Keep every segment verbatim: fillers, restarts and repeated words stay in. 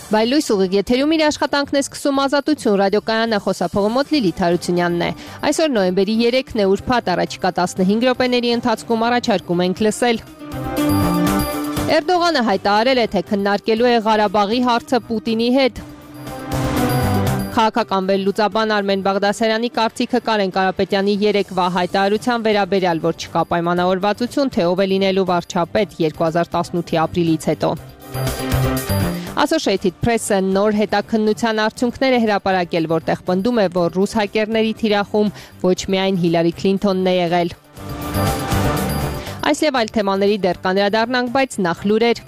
Բայլույս ուղիղ եթերում իր աշխատանքն է սկսում Ազատություն ռադիոկայանը, խոսափողը մոտ Լիլիթ Հարությունյանն է։ Այսօր նոյեմբերի երեքն է, ուրբաթ, առաջիկա տասնհինգ րոպեների ընթացքում առաջարկում ենք լսել։ Էրդողանը հայտարարել է, թե քննարկելու է Ղարաբաղի հարցը Պուտինի հետ։ Քաղաքական վերլուծաբան Արմեն Բաղդասարյանի կարծիքը Կարեն Կարապետյանի երեկվա հայտարարության վերաբերյալ, որ չկա պայմանավորվածություն, թե ով է լինելու վարչապետ երկու հազար տասնութի ապրիլից հետո։ Associated Press-ը նոր հետաքննության արդյունքներ է հրապարակել, որտեղ պնդում է, որ ռուս հակերների թիրախում ոչ միայն Հիլարի Քլինթոնն է եղել։ Այս եւ այլ թեմաների դեռ կանդրադառնանք, բայց նախ լուրեր։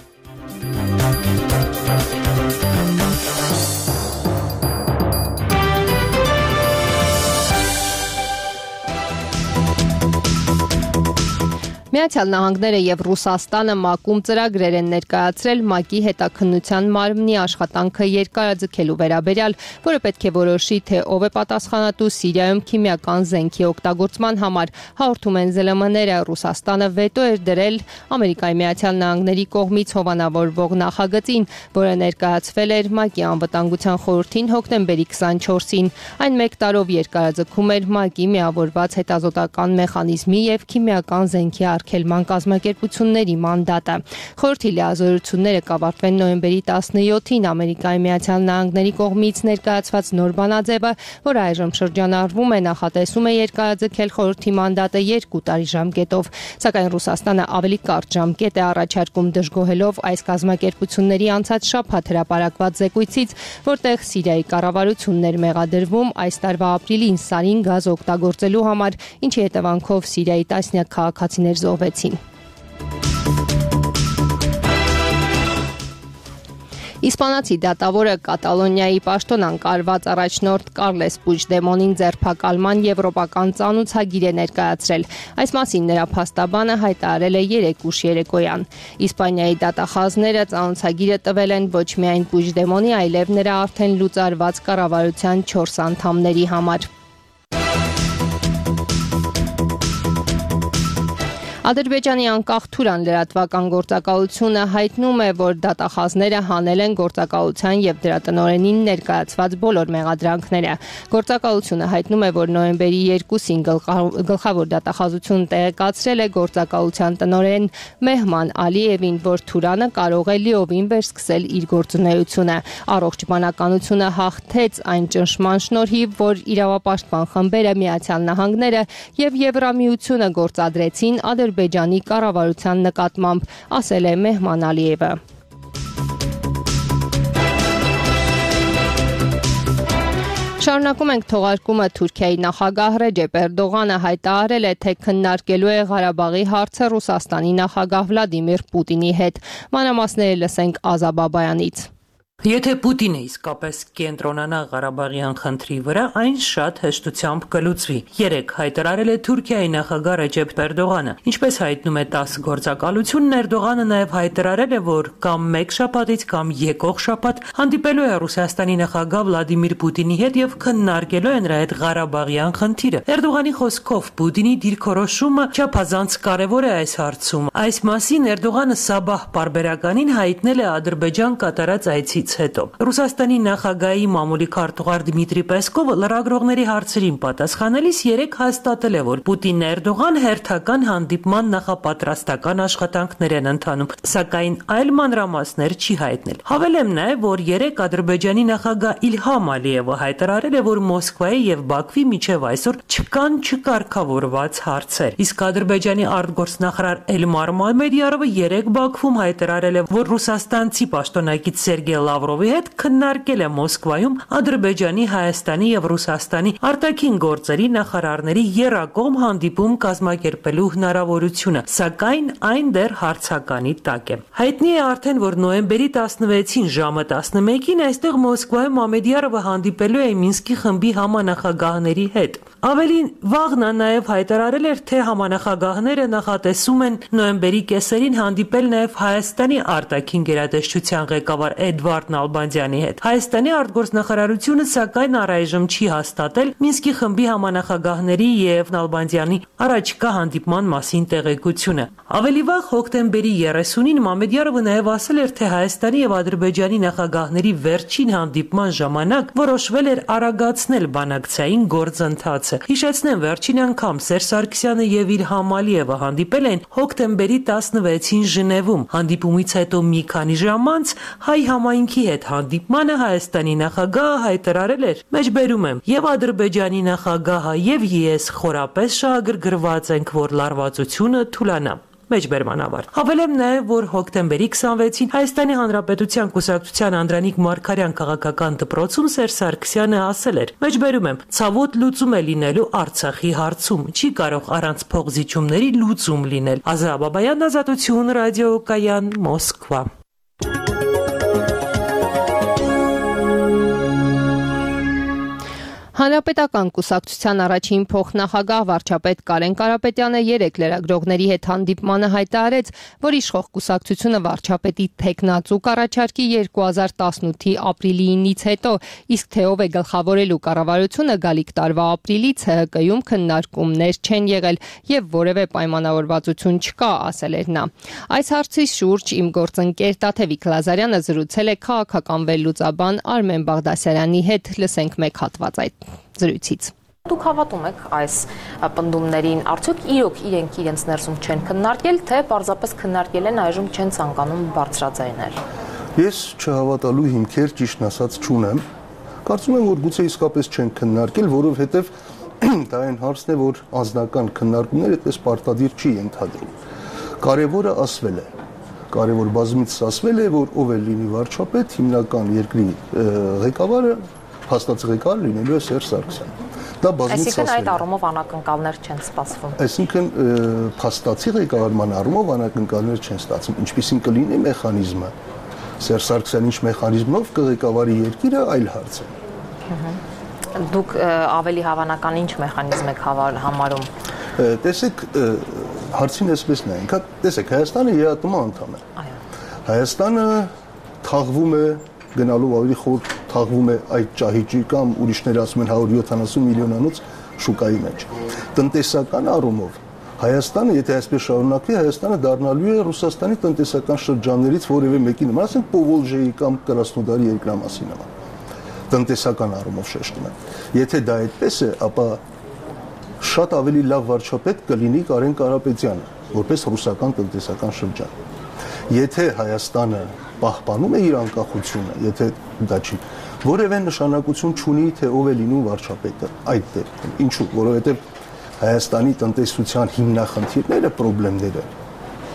Միացյալ Նահանգները եւ Ռուսաստանը ՄԱԿ-ում ծրագրեր են ներկայացրել ՄԱԿ-ի հետաքննության մարմնի աշխատանքը երկարաձգելու վերաբերյալ, որը պետք է որոշի, թե ով է պատասխանատու Սիրիայում քիմիական զենքի օգտագործման համար։ Հաղորդում են ԶԼՄ-ները, Ռուսաստանը վետո էր դրել Ամերիկայի Միացյալ Նահանգների կողմից հովանավորվող նախագծին, որը ներկայացվել էր ՄԱԿ-ի անվտանգության խորհրդին հոկտեմբերի քսանչորսին։ Այն մեկ տարով երկարաձգում էր ՄԱԿ-ի միավորված հետազոտական մեխանիզմի եւ քիմիական զենքի արգելման կազմակերպությունների մանդատը։ Խորհրդի լիազորությունները կավարտվեն նոյեմբերի տասնյոթին Ամերիկայի Միացյալ Նահանգների կողմից ներկայացված նոր բանաձևը, որը այժմ շրջանառվում է, նախատեսում է երկարաձգել խորհրդի մանդատը երկու տարի ժամկետով, սակայն Ռուսաստանը ավելի կարճ ժամկետ է առաջարկում, դժգոհելով այս կազմակերպությունների անցած շաբաթ հրապարակված զեկույցից, որտեղ Սիրիայի կառավարությունն էր մեղադրվում այս տարվա ապրիլին սարին գազ օգտագործելու համար, ինչի հետևանքով Սիրիայի տասնյակ քաղաքացիներ զոհվեցին։ Իսպանացի դատավորը Կատալոնիայի պաշտոնանկարված առաջնորդ Կարլես Պուigdemont-ին ձերբակալման եվրոպական ծանուցագիր է ներկայացրել։ Այս մասին նրա փաստաբանը հայտարարել է երեկ ուշ երեկոյան։ Իսպանիայի դատախազները ծանուցագիրը տվել են ոչ միայն Պուigdemont-ի, այլև նրա արդեն լուծարված կառավարության չորս անդամների համար։ Ադրբեջանի անկախ Թուրան լրատվական գործակալությունը հայտնում է, որ դատախազները հանել են գործակալության եւ դրա տնօրենին ներկայացված բոլոր մեղադրանքները։ Գործակալությունը հայտնում է, որ նոյեմբերի երկուսին գլխավոր դատախազությունը տեղեկացրել է գործակալության տնօրեն Մեհման Ալիևին, որ Թուրանը կարող է լիովին վերսկսել իր գործունեությունը։ Առողջ բանականությունը հաղթեց այն ճնշման շնորհիվ, որ իրավապաշտպան խմբերը, Միացյալ Նահանգները եւ Եվրամիությունը գործադրեցին Ադրբեջանի կառավարության նկատմամբ, ասել է Մեհման Ալիևը։ Շարունակում ենք թողարկումը Թուրքիայի նախագահ Ռեջեփ Էրդողանը հայտարարել է, թե քննարկելու է Ղարաբաղի հարցը Ռուսաստանի նախագահ Վլադիմիր Պուտինի հետ։ Մանրամասները լսենք Ազա Բաբայանից։ Եթե Պուտինը իսկապես կենտրոնանա Ղարաբաղյան խնդրի վրա, այն շատ հեշտությամբ կլուծվի։ Երեկ հայտարարել է Թուրքիայի նախագահ Ռեջեփ Էրդողանը։ Ինչպես հայտնում է ՏԱՍՍ գործակալությունն, Էրդողանը նաև հայտարարել է, որ կամ մեկ շաբաթից կամ եկող շաբաթ հանդիպելու է Ռուսաստանի նախագահ Վլադիմիր Պուտինի հետ եւ քննարկելու է նրա հետ Ղարաբաղյան խնդիրը։ Էրդողանի խոսքով Պուտինի դիրքորոշումը չափազանց կարևոր է այս հարցում։ Այս մասին Էրդողանը Սաբահ պարբերականին հայտնել է Ադրբեջան կատարած այցից հետո։ Ռուսաստանի նախագահի մամուլի քարտուղար Դմիտրի Պեսկովը լրագրողների հարցերին պատասխանելիս երեկ հաստատել է, որ Պուտինն ու Էրդողան հերթական հանդիպման նախապատրաստական աշխատանքներ են ընթանում, սակայն այլ մանրամասներ չի հայտնել։ Հավելեմ նաև, որ երեկ Ադրբեջանի նախագահ Իլհամ Ալիևը հայտարարել է, որ Մոսկվայի եւ Բաքվի միջև այսօր չկան չկարգավորված հարցեր։ Իսկ Ադրբեջանի արտգործնախարար Էլմար Մամեդյարովը երեկ Բաքվում հայտարարել է, որ ռուսաստանցի պաշտոնակից Սերգեյ Լավրովի հետ քննարկել է Մոսկվայում Ադրբեջանի, Հայաստանի եւ Ռուսաստանի արտաքին գործերի նախարարների եռակողմ հանդիպում կազմակերպելու հնարավորությունը, սակայն այն դեռ հարցականի տակ է։ Հայտնի է արդեն, որ նոյեմբերի տասնվեցին ժամը տասնմեկին այստեղ Մոսկվայում Մամեդյարովը հանդիպելու է Մինսկի խմբի համանախագահների հետ։ Ավելին վաղ նա նաև հայտարարել էր, թե համանախագահները նախատեսում են նոյեմբերի կեսերին հանդիպել նաև Հայաստանի արտաքին գերատեսչության ղեկավար Էդվարդ Նալբանդյանի հետ։ Հայաստանի արտգործնախարարությունը սակայն առայժմ չի հաստատել Մինսկի խմբի համանախագահների եւ Նալբանդյանի առաջիկա հանդիպման մասին տեղեկությունը։ Ավելի վաղ հոկտեմբերի երեսունին Մամեդյարովը նաև ասել էր, թե Հայաստանի եւ Ադրբեջանի նախագահների վերջին հանդիպման ժամանակ որոշվել էր արագացնել բանակցային գործընթացը։ Հիշեցնեմ, վերջին անգամ Սերժ Սարգսյանը եւ Իլհամ Ալիևը հանդիպել են հոկտեմբերի տասնվեցին Ժնևում։ Հանդիպումից հետո մի քանի ժամ անց հայ համայնքի հետ հանդիպմանը Հայաստանի նախագահը հայտարարել էր. «Մեջբերում եմ, եւ Ադրբեջանի նախագահը եւ ես խորապես շահագրգռված ենք, որ լարվածությունը թուլանա»։ Մեջբերման ավարտ։ Հավելեմ նաև, որ հոկտեմբերի քսանվեցին Հայաստանի Հանրապետության Կուսակցության Անդրանիկ Մարգարյան քաղաքական դպրոցում Սերժ Սարգսյանը ասել էր. «Մեջբերում եմ, ցավոտ լուծում է լինելու Արցախի հարցում, չի կարող առանց փոխզիջումների լուծում լինել»։ Ազա Բաբայան, Ազատություն, ռադիոկայան, Մոսկվա։ Հանրապետական կուսակցության առաջին փոխնախագահ վարչապետ Կարեն Կարապետյանը երեկ լրագրողների հետ հանդիպմանը հայտարարեց, որ իշխող կուսակցությունը վարչապետի թեկնածու կառաջարկի երկու հազար տասնութի ապրիլի ինից հետո, իսկ թե ով է գլխավորելու կառավարությունը գալիք տարվա ապրիլից ՀՀԿ-ում քննարկումներ չեն եղել եւ որևէ պայմանավորվածություն չկա, ասել էր նա։ Այս հարցի շուրջ իմ գործընկեր Տաթևիկ Լազարյանը զրուցել է քաղաքական վերլուծաբան Արմեն Բաղդասարյանի հետ, լսենք մեկ հատված այդ զրույցից։ Դուք հավատում եք այս պնդումներին, արդյոք իրոք իրենք իրենց ներսում չեն քննարկել, թե պարզապես քննարկել են այժմ չեն ցանկանում բարձրաձայնել։ Ես չհավատալու հիմքեր ճիշտն ասած չունեմ։ Կարծում եմ, որ գուցե իսկապես չեն քննարկել, որովհետև դա այն հարցն է, որ անձնական քննարկումները այդպես պարտադիր չի ենթադրում։ Կարևորը ասվել է։ Կարևոր բազմիցս ասվել է, որ ով է լինի վարչապետ, հիմնական երկրի ղեկավարը հաստատի ղեկավար լինելու է Սերժ Սարգսյանը։ Դա բազմիցս ասվել է։ Այսինքն այդ առումով անակնկալներ չեն սպասվում։ Այսինքն փաստացի ղեկավարման առումով անակնկալներ չեն ստացվում։ Ինչպիսին կլինի մեխանիզմը։ Սերժ Սարգսյանը ինչ մեխանիզմով կղեկավարի երկիրը, այլ հարց է։ Դուք ավելի հավանական ինչ մեխանիզմ եք համարում։ Տեսեք, հարցին այսպես նայենք, տեսեք, Հայաստանը ԵԱՏՄ անդամ է։ Այո։ Հայաստանը թաղվում է գնալով ավելի խոր թաղվում է այդ ճահիճի կամ ուրիշները ասում են հարյուր յոթանասուն միլիոնանոց շուկայի մեջ։ Տնտեսական առումով Հայաստանը, եթե այսպես շարունակվի, Հայաստանը դառնալու է Ռուսաստանի տնտեսական շրջաններից որևէ մեկի նման, ասենք Պովոլժիայի կամ Կրասնոդարի երկրամասի նման։ Տնտեսական առումով շեշտում եմ։ Եթե դա այդպես է, ապա շատ ավելի լավ վարչապետ կլինի Կարեն Կարապետյանը, որպես ռուսական տնտեսական շրջան։ Եթե Հայաստանը պահպանում է իր անկախությունը, եթե դա չի, որևէ նշանակություն չունի, թե ով է լինում վարչապետը այդ դեպքում։ Ինչու՞, որովհետև Հայաստանի տնտեսության հիմնախնդիրները, խնդիրները,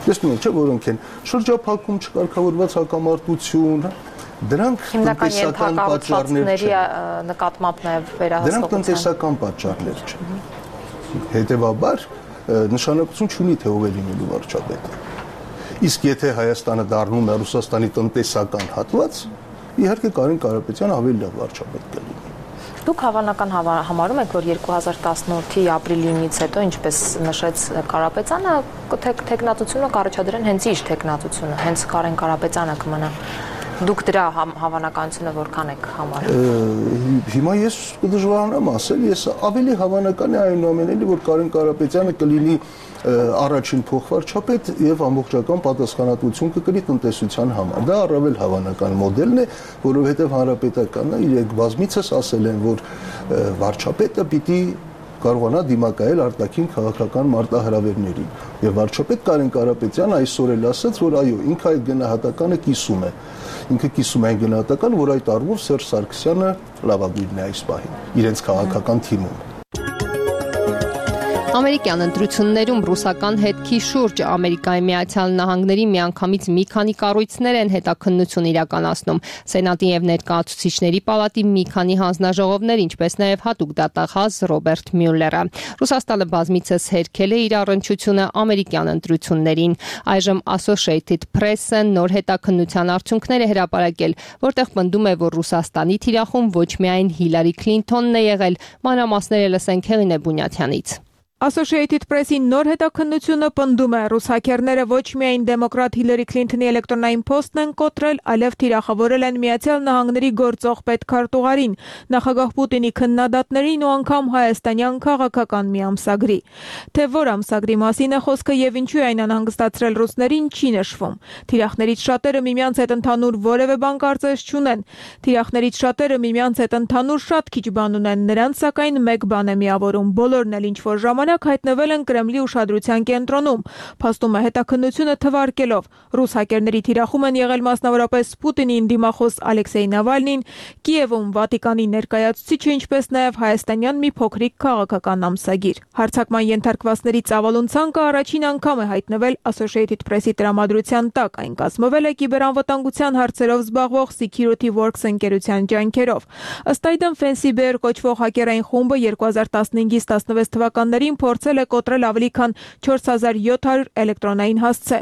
տեսնում եք, չէ, որոնք են շրջափակում, չկարգավորված հակամարտություն, դրանք տնտեսական պատճառներ չեն։ Նկատմամբ նաև վերահսկողության։ Դրանք տնտեսական պատճառներ չեն։ Հետևաբար նշանակություն չունի, թե ով է լինելու վարչապետը։ Իսկ եթե Հայաստանը դառնում է Ռուսաստանի տնտեսական հատված, իհարկե Կարեն Կարապետյանը ավելի լավ վարչապետ կլինի։ Դուք հավանական համարում եք, որ երկու հազար տասնութի ապրիլինից հետո, ինչպես նշեց Կարապետյանը, թեկնածությունը կառաջադրեն հենց իր թեկնածությունը, հենց Կարեն Կարապետյանը կմնա։ Դուք դրա հավանականությունը որքան եք համարում։ Հիմա ես կդժվարանամ ասել, ես ավելի հավանական է այնուամենայնիվ, որ Կարեն Կարապետյանը կլինի առաջին փոխվարչապետ եւ ամբողջական պատասխանատվություն կկրի տնտեսության համար։ Դա առավել հավանական մոդելն է, որովհետեւ հանրապետականը իրենք բազմիցս ասել են, որ վարչապետը պիտի կարողանա դիմակայել արտաքին քաղաքական մարտահրավերներին։ Եվ վարչապետ Կարեն Կարապետյանը այսօր էլ ասաց, որ այո, ինքը այդ գնահատականը կիսում է։ Ինքը կիսում է այն գնահատականը, որ այդ առումով Սերժ Սարգսյանը լավագույնն է այս պահին իրենց քաղաքական թիմում։ Ամերիկյան ընտրություններում ռուսական հետքի շուրջ Ամերիկայի Միացյալ Նահանգների միանգամից մի քանի կառույցներ են հետաքննություն իրականացնում։ Սենատի եւ Ներկայացուցիչների պալատի մի քանի հանձնաժողովներ, ինչպես նաեւ հատուկ դատախազ Ռոբերտ Մյուլլերը։ Ռուսաստանը բազմիցս հերքել է իր առնչությունը ամերիկյան ընտրություններին։ Այժմ Associated Press-ը նոր հետաքննության արդյունքներ է հրապարակել, որտեղ պնդում է, որ Ռուսաստանի թիրախում ոչ միայն Հիլարի Քլինթոնն է եղել, մանրամասները լսենք Հեղինե Բունյաթյանից։ Associated Press-ի նոր հետաքննությունը պնդում է, ռուս հաքերները ոչ միայն դեմոկրատ Հիլարի Քլինթոնի էլեկտրոնային փոստն են կոտրել, այլև թիրախավորել են Միացյալ Նահանգների գործող պետքարտուղարին, նախագահ Պուտինի քննադատներին ու անգամ հայաստանյան քաղաքական մի ամսագրի։ Թե որ ամսագրի մասին է խոսքը եւ ինչու է այն անհանգստացրել ռուսներին, չի նշվում։ Թիրախներից շատերը միմյանց հետ ընդհանուր որևէ բան կարծես չունեն։ Թիրախներից շատերը միմյանց հետ ընդհանուր շատ քիչ բան ունեն, նրանց սակայն մեկ բան է միավորում, բոլորն էլ ինչ որ ժամանակ հայտնվել են Կրեմլի ուշադրության կենտրոնում, փաստում է հետաքննությունը թվարկելով։ Ռուս հակերների թիրախում են եղել մասնավորապես Պուտինին դիմախոս Ալեքսեյ Նավալնին, Կիևում Վատիկանի ներկայացուցիչը, ինչպես նաև հայաստանյան մի փոքրիկ քաղաքական ամսագիր։ Հարձակման ենթարկվածների ծավալուն ցանկը առաջին անգամ է հայտնվել Associated Press-ի տրամադրության տակ, այն կազմվել է կիբերանվտանգության հարցերով զբաղվող Security Works ընկերության ջանքերով։ Ըստ այդմ Fancy Bear կոչվող հակերային խումբը երկու հազար տասնհինգից տասնվեց թվականներին փորձել է կոտրել ավելի քան չորս հազար յոթ հարյուր էլեկտրոնային հասցե։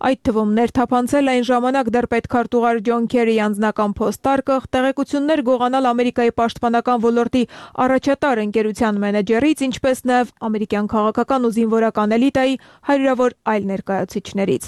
Այդ թվում ներթափանցել այն ժամանակ դեռ պետքարտուղար Ջոն Քերիի անձնական փոստարկղ, տեղեկություններ գողանալ Ամերիկայի պաշտպանական ոլորտի առաջատար ընկերության մենեջերից, ինչպես նաև ամերիկյան քաղաքական ու զինվորական էլիտայի հարյուրավոր այլ ներկայացուցիչներից։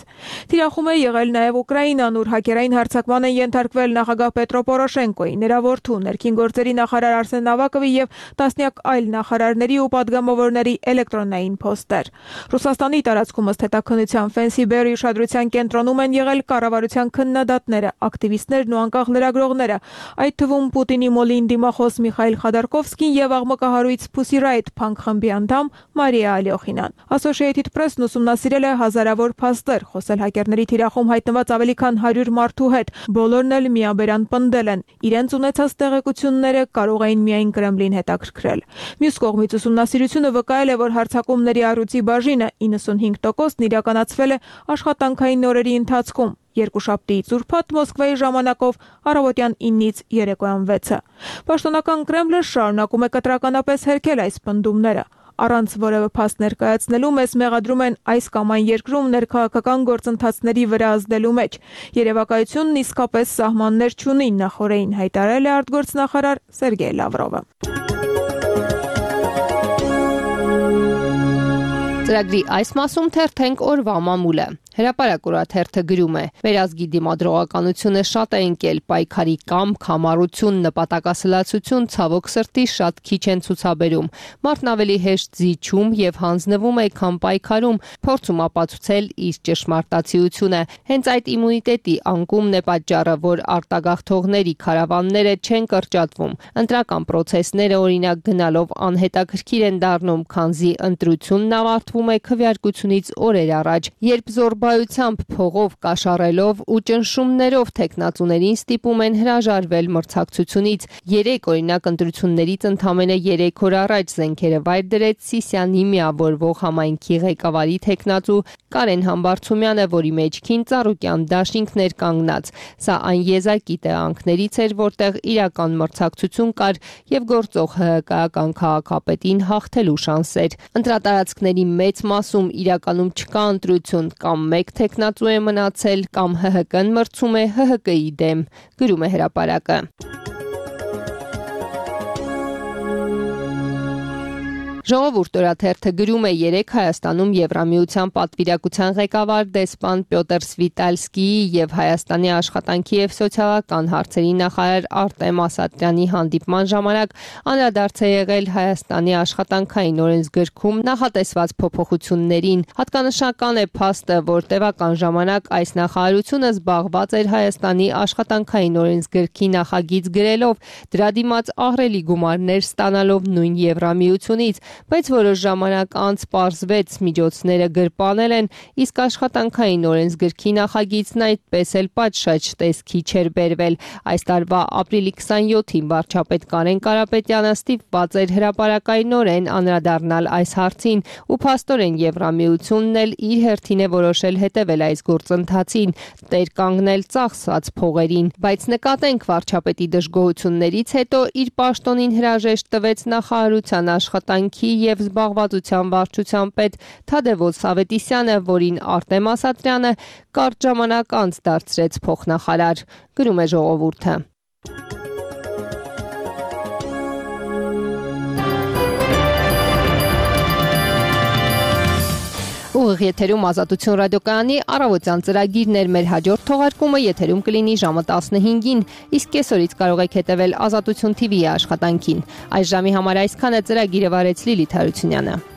Թիրախում է եղել նաև Ուկրաինան, ուր հակերային հարձակման են ենթարկվել նախագահ Պետրո Պորոշենկոյի, նրա որդու, ներքին գործերի նախարար Արսեն Ավակովի եւ տասնյակ այլ նախարարների ու պատգամավորների էլեկտրոնային փոստեր։ Ռուսաստանի տարածքում ըստ հետաքննության Fancy Bear-ի ուշադրության կենտրոնում են եղել կառավարության քննադատները, ակտիվիստներն ու անկախ լրագրողները, այդ թվում Պուտինի մոլին դիմախոս Միխայիլ Խադարկովսկին եւ աղմկահարույց Pussy Riot փանկ խմբի անդամ Մարիա Ալյոխինան։ Associated Press-ն ուսումնասիրել է հազարավոր փաստեր, խոսել հակերների թիրախում հայտնված ավելի քան հարյուր մարդու հետ, բոլորն էլ միաբերան պնդել են, իրենց ունեցած տեղեկությունները կարող էին միայն Կրեմլին հետաքրքրել։ Մյուս կողմից ուսումնասիրությունը վկայել է, որ հարձակումների առյուծի բաժինը իննսունհինգ տոկոսն իրականացվել է աշխատանքային օրերի ընթացքում։ Երկուշաբթիից ուրբաթ Մոսկվայի ժամանակով առավոտյան ինից երեկոյան վեցը։ Պաշտոնական Կրեմլը շարունակում է կտրականապես հերքել այս պնդումները։ Առանց որևէ փաստ ներկայացնելու մեզ մեղադրում են այս կամ այն երկրում ներքաղաքական գործընթացների վրա ազդելու մեջ։ Երևակայությունն իսկապես սահմաններ չունի, նախորդին հայտարարել է արտգործնախարար Սերգեյ Լավրովը։ Ծրագրի այս մասում թերթենք օրվա մամուլը։ Հրապարակ օրաթերթը գրում է. Վերազգի դիմադրողականությունը շատ է ընկել, պայքարի կամք, համառություն, նպատակասլացություն ցավոք սրտի շատ քիչ են ցուցաբերում։ Մարդն ավելի հեշտ զիջում եւ հանձնվում է, քան պայքարում, փորձում ապացուցել իր ճշմարտացիությունը։ Հենց այդ իմունիտետի անկումն է պատճառը, որ արտագաղթողների քարավանները չեն կրճատվում։ Ընտրական process-ները օրինակ գնալով անհետաքրքիր են դառնում, քանզի ընտրությունն ավարտվում է քվեարկությունից օրեր առաջ, երբ զորբայությամբ փողով կաշառելով ու ճնշումներով թեկնածուներին ստիպում են հրաժարվել մրցակցությունից։ Երեք օրինակ ընտրություններից ընդամենը երեք օր առաջ զենքերը վայր դրեց Սիսիանի միավորվող համայնքի ղեկավարի թեկնածու Կարեն Համբարձումյանը, որի մեջքին Ծառուկյան դաշինքներ կանգնած։ Սա այն եզակի տեղանքներից էր, որտեղ իրական մրցակցություն կար եւ գործող ՀՀԿ-ական քաղաքապետին հաղթելու շանսեր։ Ընտրատարածքների մեծ մասում իրականում չկա ընտրություն, կամ մեկ թեկնածու է մնացել, կամ ՀՀԿ-ն մրցում է ՀՀԿ-ի դեմ, գրում է հրապարակը։ Ժողովուրդ օրաթերթը գրում է երեք Հայաստանում Եվրամիության պատվիրակության ղեկավար դեսպան Պյոտր Սվիտալսկիի եւ Հայաստանի աշխատանքի եւ սոցիալական հարցերի նախարար Արտեմ Ասատրյանի հանդիպման ժամանակ անդրադարձ է եղել Հայաստանի աշխատանքային օրենսգրքում նախատեսված փոփոխություններին։ Հատկանշական է փաստը, որ տևական ժամանակ այս նախարարությունը զբաղված էր Հայաստանի աշխատանքային օրենսգրքի նախագիծ գրելով, դրա դիմաց ահռելի գումարներ ստանալով նույն Եվրամիությունից, բայց որոշ ժամանակ անց պարզվեց միջոցները գրպանել են, իսկ աշխատանքային օրենսգրքի նախագիծն այդպես էլ պատշաճ տեսքի չէր բերվել։ Այս տարվա ապրիլի քսանյոթին վարչապետ Կարեն Կարապետյանը ստիպված էր հրապարակայնորեն անդրադառնալ այս հարցին ու փաստորեն Եվրամիությունն էլ իր հերթին է որոշել հետևել այս գործընթացին, տեր կանգնել ծախսված փողերին, բայց նկատենք վարչապետի դժգոհություններից հետո իր պաշտոնին հրաժեշտ տվեց նախարարության աշխատանքի եւ զբաղվածության վարչության պետ Թադևոս Ավետիսյանը, որին Արտեմ Ասատրյանը կարճ ժամանակ անց դարձրեց փոխնախարար, գրում է Ժողովուրդը։ Ուղիղ եթերում Ազատություն ռադիոկայանի առավոտյան ծրագիրն էր, մեր հաջորդ թողարկումը եթերում կլինի ժամը տասնհինգին, իսկ կեսօրից կարող եք հետևել Ազատություն թիվիի աշխատանքին։ Այս ժամի համար այսքանը, ծրագիրը վարեց Լիլիթ Հարությունյանը։